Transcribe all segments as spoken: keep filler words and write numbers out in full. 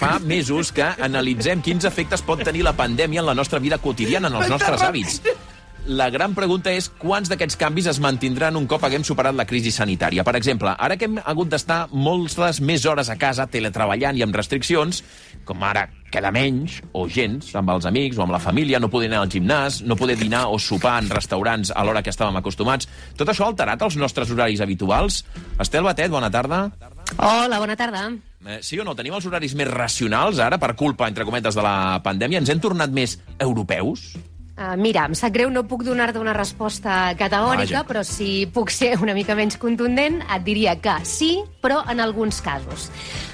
fa mesos que analitzem quins efectes pot tenir la pandèmia en la nostra vida quotidiana, en els nostres hàbits. La gran pregunta és quants d'aquests canvis es mantindran un cop haguem superat la crisi sanitària. Per exemple, ara que hem hagut d'estar moltes més hores a casa teletreballant i amb restriccions, com ara queda menys o gens amb els amics o amb la família, no poder anar al gimnàs, no poder dinar o sopar en restaurants a l'hora que estàvem acostumats, tot això ha alterat els nostres horaris habituals? Estel Batet, bona tarda. Hola, bona tarda. Eh, sí o no? Tenim els horaris més racionals ara per culpa, entre cometes, de la pandèmia? Ens hem tornat més europeus? Uh, mira, em sap greu, no puc donar-te una resposta categòrica, Vaja. però si puc ser una mica menys contundent, et diria que sí, però en alguns casos.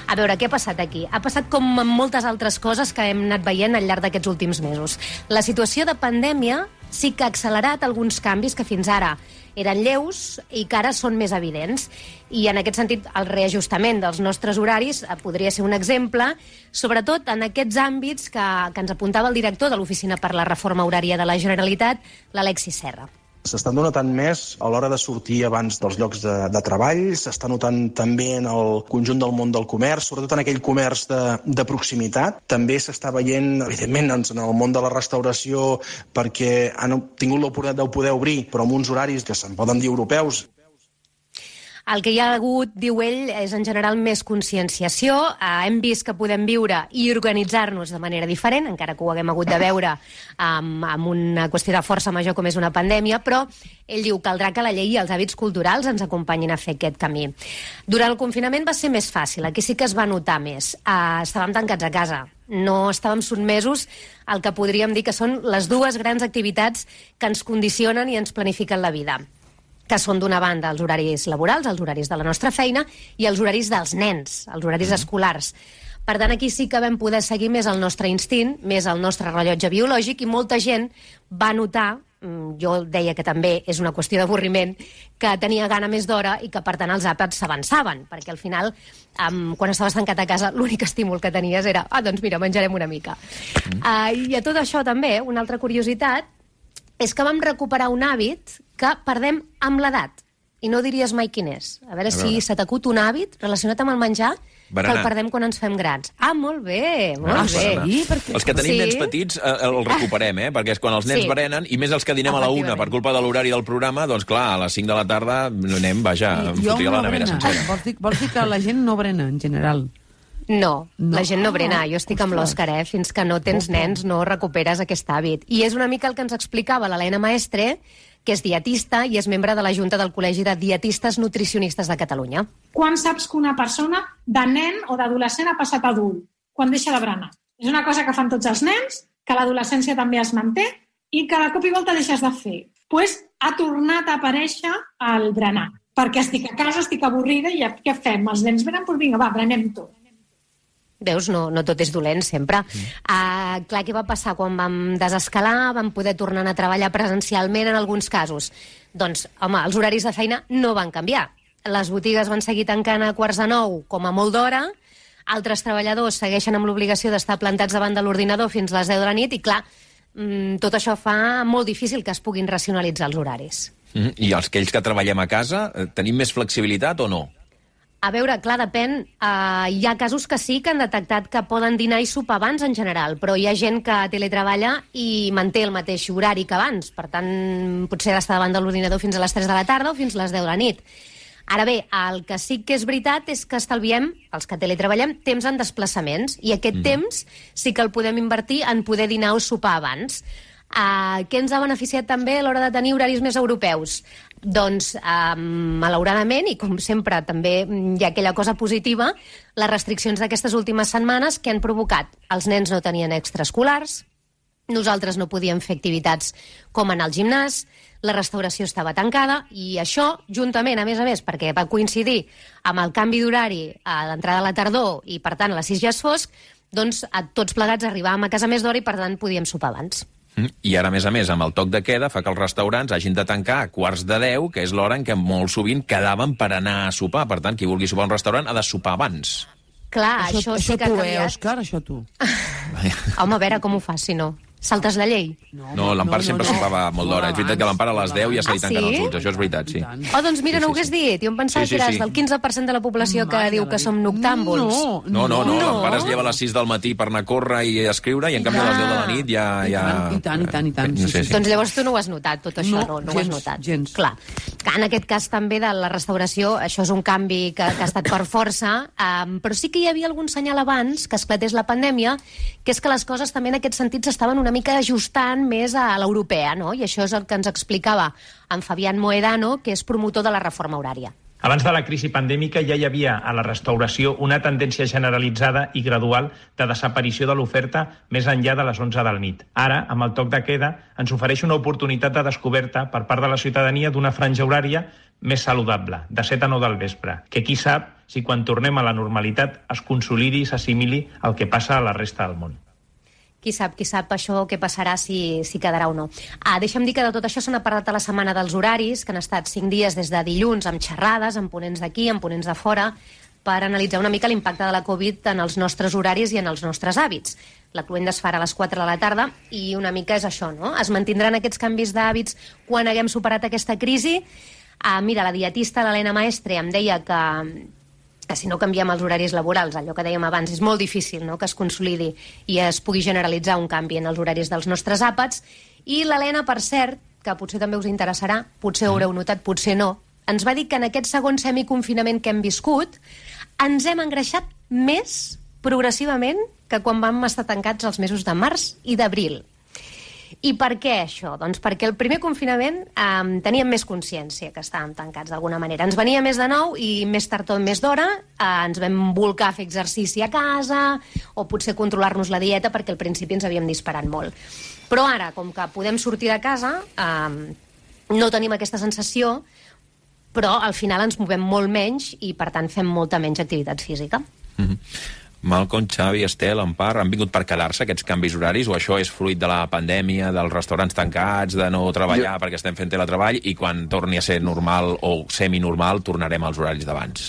A veure, què ha passat aquí? Ha passat com amb moltes altres coses que hem anat veient al llarg d'aquests últims mesos. La situació de pandèmia sí que ha accelerat alguns canvis que fins ara eren lleus i que ara són més evidents. I en aquest sentit, el reajustament dels nostres horaris podria ser un exemple, sobretot en aquests àmbits que, que ens apuntava el director de l'Oficina per la Reforma Horària de la Generalitat, l'Alexis Serra. S'està notant més a l'hora de sortir abans dels llocs de, de treball, s'està notant també en el conjunt del món del comerç, sobretot en aquell comerç de, de proximitat. També s'està veient, evidentment, en el món de la restauració, perquè han tingut l'oportunitat de poder obrir, però amb uns horaris que se'n poden dir europeus. El que hi ha hagut, diu ell, és en general més conscienciació. Eh, hem vist que podem viure i organitzar-nos de manera diferent, encara que ho haguem hagut de veure amb, amb una qüestió de força major com és una pandèmia, però ell diu que caldrà que la llei i els hàbits culturals ens acompanyin a fer aquest camí. Durant el confinament va ser més fàcil, aquí sí que es va notar més. Eh, estàvem tancats a casa, no estàvem sotmesos al que podríem dir que són les dues grans activitats que ens condicionen i ens planifiquen la vida, que són d'una banda els horaris laborals, els horaris de la nostra feina, i els horaris dels nens, els horaris escolars. Per tant, aquí sí que vam poder seguir més el nostre instint, més el nostre rellotge biològic, i molta gent va notar, jo deia que també és una qüestió d'avorriment, que tenia gana més d'hora i que, per tant, els àpats s'avançaven, perquè al final, um, quan estaves tancat a casa, l'únic estímul que tenies era, ah, doncs mira, menjarem una mica. Mm. Uh, I a tot això també, una altra curiositat, és que vam recuperar un hàbit que perdem amb l'edat. I no diries mai quin és. A veure, a veure. si se t'acut un hàbit relacionat amb el menjar berenar. Que el perdem quan ens fem grans. Ah, molt bé, molt ah, bé. Sí, perquè... Els que tenim sí. nens petits eh, el recuperem, eh? Perquè és quan els nens sí. berenen, i més els que dinem a la una per culpa de l'horari del programa, doncs clar, a les cinc de la tarda anem, vaja, em fotria no la nevera sencera. Vols dir, vols dir que la gent no brena, en general? No, no, la gent no brena. Jo estic amb l'Òscar, eh? Fins que no tens nens no recuperes aquest hàbit. I és una mica el que ens explicava l'Helena Maestre, que és dietista i és membre de la Junta del Col·legi de Dietistes Nutricionistes de Catalunya. Quan saps que una persona de nen o d'adolescent ha passat a adult? Quan deixa de berenar. És una cosa que fan tots els nens, que l'adolescència també es manté i que de cop i volta deixes de fer. Doncs pues, ha tornat a aparèixer el berenar. Perquè estic a casa, estic avorrida i què fem? Els nens venen, doncs vinga, va, berenem tot. Veus, no, no tot és dolent sempre. Mm. Uh, clar, què va passar quan vam desescalar, vam poder tornar a treballar presencialment en alguns casos? Doncs, home, els horaris de feina no van canviar. Les botigues van seguir tancant a quarts de nou, com a molt d'hora, altres treballadors segueixen amb l'obligació d'estar plantats davant de l'ordinador fins a les deu de la nit i, clar, tot això fa molt difícil que es puguin racionalitzar els horaris. Mm. I els aquells que treballem a casa, tenim més flexibilitat o no? A veure, clar, depèn. Uh, hi ha casos que sí que han detectat que poden dinar i sopar abans en general, però hi ha gent que teletreballa i manté el mateix horari que abans. Per tant, potser ha d'estar davant de l'ordinador fins a les tres de la tarda o fins a les deu de la nit. Ara bé, el que sí que és veritat és que estalviem, els que teletreballem, temps en desplaçaments, i aquest mm. temps sí que el podem invertir en poder dinar o sopar abans. Uh, què ens ha beneficiat també a l'hora de tenir horaris més europeus? Doncs, uh, malauradament, i com sempre també hi ha aquella cosa positiva, les restriccions d'aquestes últimes setmanes que han provocat els nens no tenien extraescolars, nosaltres no podíem fer activitats com anar al gimnàs, la restauració estava tancada, i això, juntament, a més a més, perquè va coincidir amb el canvi d'horari a l'entrada de la tardor i, per tant, a les sis ja és fosc, doncs a tots plegats arribàvem a casa més d'hora i, per tant, podíem sopar abans. I ara, a més a més, amb el toc de queda fa que els restaurants hagin de tancar a quarts de deu, que és l'hora en què molt sovint quedaven per anar a sopar. Per tant, qui vulgui sopar a un restaurant ha de sopar abans. Clar, això, això, això sí que ha tu, canviat. Eh, Òscar, això tu. Home, a veure com ho fas, si no. Saltes la llei? No, l'Empar sempre sopava molt d'hora. És veritat que l'Empar a les deu ja se li tanquen els ulls. Això és veritat, sí. Oh, doncs mira, no ho hagués dit. Jo em pensava que eres del quinze per cent de la població que diu que som noctàmbuls. No, no, no. L'Empar es lleva a les sis del matí per anar a córrer i a escriure, i en canvi a les deu de la nit ja... I tant, i tant, i tant. Doncs llavors tu no ho has notat, tot això, no? No ho has notat. Gens. Clar. En aquest cas també de la restauració, això és un canvi que ha estat per força, però sí que hi havia algun senyal abans que esclatés la pandèmia, que és que les coses també en aquest sentit s'estaven una mica ajustant més a l'europea, no? I això és el que ens explicava en Fabián Moedano, que és promotor de la reforma horària. Abans de la crisi pandèmica ja hi havia a la restauració una tendència generalitzada i gradual de desaparició de l'oferta més enllà de les onze de la nit. Ara, amb el toc de queda, ens ofereix una oportunitat de descoberta per part de la ciutadania d'una franja horària més saludable, de set a nou del vespre, que qui sap si quan tornem a la normalitat es consolidi i s'assimili el que passa a la resta del món. Qui sap, qui sap això què passarà, si, si quedarà o no. Ah, deixa'm dir que de tot això se n'ha parlat a la setmana dels horaris, que han estat cinc dies des de dilluns, amb xerrades, amb ponents d'aquí, amb ponents de fora, per analitzar una mica l'impacte de la Covid en els nostres horaris i en els nostres hàbits. La cluenda es farà a les quatre de la tarda i una mica és això, no? Es mantindran aquests canvis d'hàbits quan haguem superat aquesta crisi. Ah, mira, la dietista, l'Helena Maestre, em deia que... que si no canviem els horaris laborals, allò que dèiem abans, és molt difícil, no?, que es consolidi i es pugui generalitzar un canvi en els horaris dels nostres àpats. I l'Helena, per cert, que potser també us interessarà, potser ho haureu notat, potser no, ens va dir que en aquest segon semiconfinament que hem viscut ens hem engreixat més progressivament que quan vam estar tancats els mesos de març i d'abril. I per què això? Doncs perquè el primer confinament eh, teníem més consciència que estàvem tancats d'alguna manera. Ens venia més de nou i més tard o més d'hora eh, ens vam volcar a fer exercici a casa o potser controlar-nos la dieta perquè al principi ens havíem disparat molt. Però ara, com que podem sortir de casa, eh, no tenim aquesta sensació, però al final ens movem molt menys i per tant fem molta menys activitat física. Mm-hmm. Malcom, Xavi, Estel, Empar, han vingut per quedar-se aquests canvis horaris o això és fruit de la pandèmia, dels restaurants tancats, de no treballar jo... perquè estem fent teletreball i quan torni a ser normal o seminormal tornarem als horaris d'abans?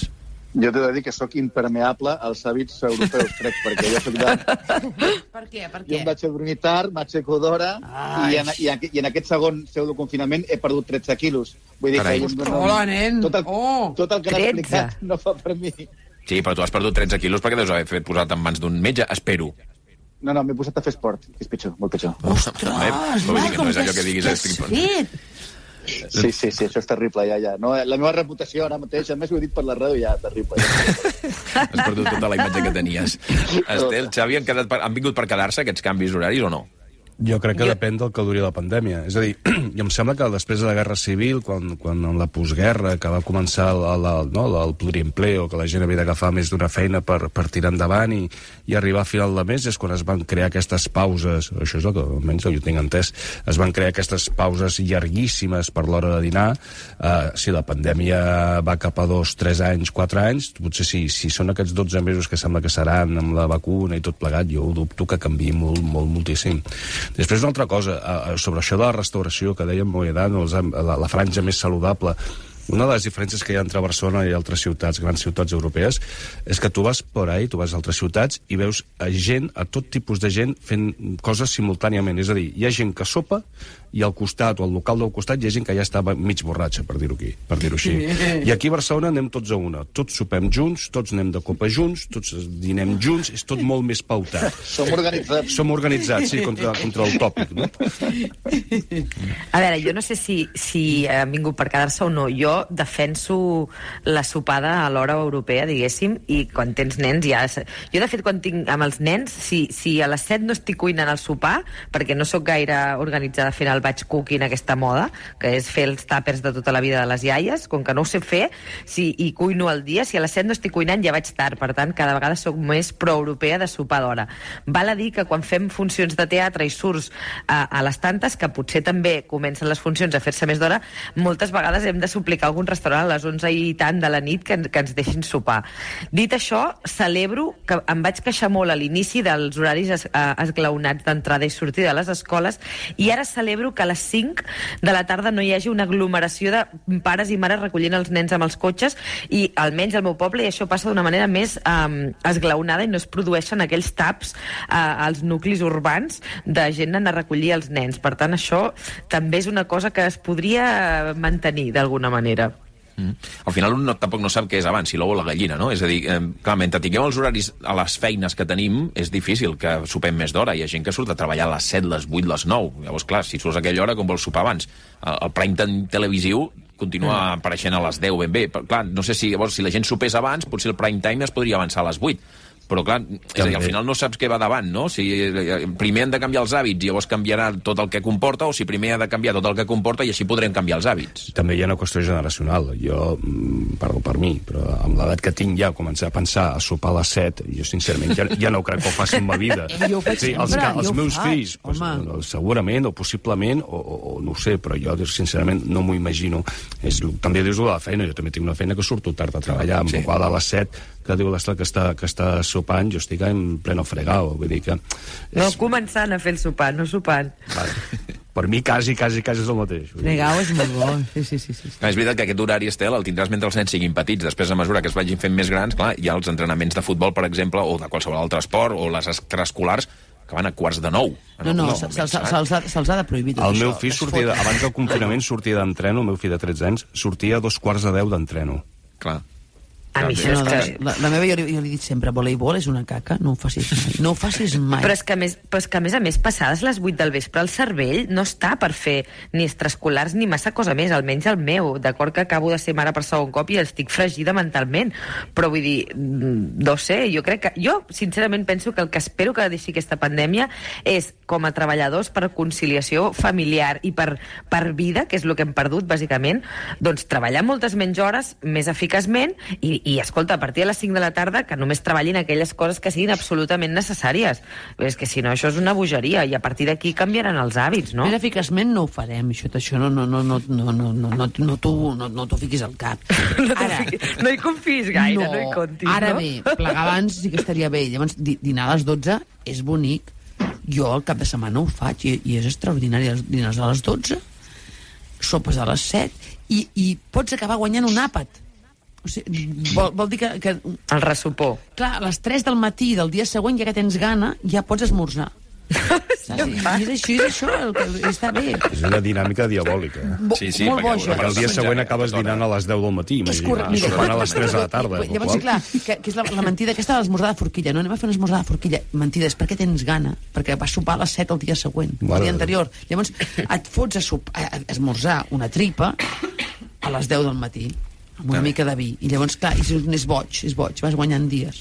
Jo t'he de dir que sóc impermeable als hàbits europeus, crec, perquè jo soc de... Per què? Per què? Jo em vaig a dormir tard, m'aixeco d'hora i en, i, en, i en aquest segon pseudoconfinament he perdut tretze quilos. Vull dir Carai. que... No, Hola, nen! Tot el, oh, tot el que n'has explicat no fa per mi. Sí, però tu has perdut tretze quilos perquè deus haver fet posat en mans d'un metge, espero. No, no, m'he posat a fer esport, que és pitjor, molt pitjor. Ostres, Malcom, no és allò que diguis... t'has fet? Sí, sí, sí, això és terrible, ja, ja. No, la meva reputació ara mateix, a més ho he dit per la ràdio, ja, terrible. Ja. Has perdut tota la imatge que tenies. Estel, Xavi, han, quedat per, han vingut per quedar-se aquests canvis horaris o no? Jo crec que jo... depèn del que duri la pandèmia. És a dir, i em sembla que després de la Guerra Civil, quan, quan en la postguerra, que va començar el, el, el, no, el pluriempleo, que la gent havia d'agafar més d'una feina per, per tirar endavant i, i arribar a final de mes, és quan es van crear aquestes pauses, això és el que almenys jo tinc entès, es van crear aquestes pauses llarguíssimes per l'hora de dinar. Uh, si la pandèmia va cap a dos, tres anys, quatre anys, potser si, si són aquests dotze mesos que sembla que seran amb la vacuna i tot plegat, jo dubto que canviï molt, molt, moltíssim. Després una altra cosa, sobre això de la restauració que dèiem Moedano, la, la franja més saludable, una de les diferències que hi ha entre Barcelona i altres ciutats, grans ciutats europees, és que tu vas por ahí, tu vas a altres ciutats i veus a gent, a tot tipus de gent fent coses simultàniament. És a dir, hi ha gent que sopa i al costat, o al local del costat, hi ha gent que ja estava mig borratxa, per dir-ho aquí, per dir-ho així. I aquí a Barcelona anem tots a una. Tots sopem junts, tots anem de copa junts, tots dinem junts, és tot molt més pautat. Som organitzats. Som organitzats, sí, contra, contra el tòpic, no? A veure, jo no sé si, si han vingut per quedar-se o no. Jo defenso la sopada a l'hora europea, diguéssim, i quan tens nens ja... Jo, de fet, quan tinc amb els nens, si, si a les set no estic cuinant el sopar, perquè no sóc gaire organitzada fent el batch cooking, aquesta moda, que és fer els tàpers de tota la vida de les iaies, com que no ho sé fer, si, i cuino al dia, si a les set no estic cuinant ja vaig tard, per tant, cada vegada sóc més proeuropea de sopar d'hora. Val a dir que quan fem funcions de teatre i surts a, a les tantes, que potser també comencen les funcions a fer-se més d'hora, moltes vegades hem de suplicar buscar algun restaurant a les onze i tant de la nit que, que ens deixin sopar. Dit això, celebro que em vaig queixar molt a l'inici dels horaris es, eh, esglaonats d'entrada i sortida de les escoles, i ara celebro que a les cinc de la tarda no hi hagi una aglomeració de pares i mares recollint els nens amb els cotxes, i almenys al meu poble i això passa d'una manera més eh, esglaonada i no es produeixen aquells taps eh, als nuclis urbans de gent anar a recollir els nens. Per tant, això també és una cosa que es podria mantenir d'alguna manera. Mm. Al final un no, tampoc no sap què és abans, si l'ou o la gallina, no? És a dir, eh, clar, mentre tinguem els horaris a les feines que tenim, és difícil que sopem més d'hora. Hi ha gent que surt a treballar a les set, les vuit, les nou. Llavors, clar, si surts a aquella hora, com vols sopar abans? El, el prime time televisiu continua mm. apareixent a les deu ben bé. Però, clar, no sé si, llavors, si la gent sopés abans, potser el prime time es podria avançar a les vuit. Però, clar, és a dir, al final no saps què va davant, no? Si primer han de canviar els hàbits i llavors canviarà tot el que comporta, o si primer ha de canviar tot el que comporta i així podrem canviar els hàbits. També hi ha una qüestió generacional. Jo, parlo per mi, però amb l'edat que tinc ja, començar a pensar a sopar a les set, jo sincerament ja, ja no crec que ho faci en ma vida. Jo ho faig sí, els, sempre, els jo meus faig, fills, pues, segurament, o possiblement, o, o, o no ho sé, però jo sincerament no m'ho imagino. És, també dius de la feina, jo també tinc una feina que surto tard a treballar, amb sí. la qual a les set que diu l'Estat que està, que està sopant, jo estic en pleno fregau, vull dir que... És... No, començant a fer el sopar, no sopant. Vale. Per mi quasi, quasi, quasi és el mateix. Fregau és molt bo, sí, sí, sí. sí. És veritat que aquest horari, Estel, el tindràs mentre els nens siguin petits. Després, a mesura que es vagin fent més grans, clar, hi ha els entrenaments de futbol, per exemple, o de qualsevol altre esport, o les extraescolars, que van a quarts de nou. No, no, se'ls se, se, ha de prohibir tot el això. Meu fill sortia, abans del confinament, sortia d'entreno, el meu fill de tretze anys, sortia a dos quarts de deu d'entreno. Clar. A mi això no, és que... La, la meva, jo, jo li he dit sempre, voleibol és una caca, no ho facis mai. No ho facis mai. Però és que a més, però és que a, més, a més, passades les vuit del vespre, el cervell no està per fer ni extraescolars ni massa cosa més, almenys el meu. D'acord que acabo de ser mare per segon cop i estic fregida mentalment. Però vull dir, no sé, jo crec que... Jo, sincerament, penso que el que espero que deixi aquesta pandèmia és, com a treballadors per conciliació familiar i per, per vida, que és el que hem perdut, bàsicament, doncs treballar moltes menys hores, més eficaçment, i, i escolta, a partir de les cinc de la tarda que només treballin aquelles coses que siguin absolutament necessàries. És que si no, això és una bogeria, i a partir d'aquí canviaran els hàbits, no? Més eficaçment no ho farem, això, això no, no, no, no, no, no, no, no, no t'ho no, no fiquis al cap. No, ara, fiquis, no hi confis gaire, no, no hi comptis, ara no? bé, plegar abans sí que estaria bé. Llavors, dinar a les dotze és bonic. Jo al cap de setmana ho faig i, i és extraordinari. Dinars a les dotze, sopes a les set, i, i pots acabar guanyant un àpat. O sigui, vol, vol dir que, que... El ressupor. Clar, a les tres del matí del dia següent, ja que tens gana, ja pots esmorzar. Sí, I és això, és això, el que està bé. És una dinàmica diabòlica. Sí, sí, molt boja. Perquè el dia següent acabes dinant a les deu del matí. És correcte. Sopant a les tres de la tarda. Llavors, sí, clar, que, que és la, la mentida aquesta de l'esmorzar de forquilla. No anem a fer una esmorzar de forquilla. Mentida, és perquè tens gana. Perquè vas sopar a les set el dia següent, el dia anterior. Llavors, et fots a, sop, a, a esmorzar una tripa a les deu del matí, amb una mica de vi. I llavors, clar, és boig, és boig, vas guanyant dies.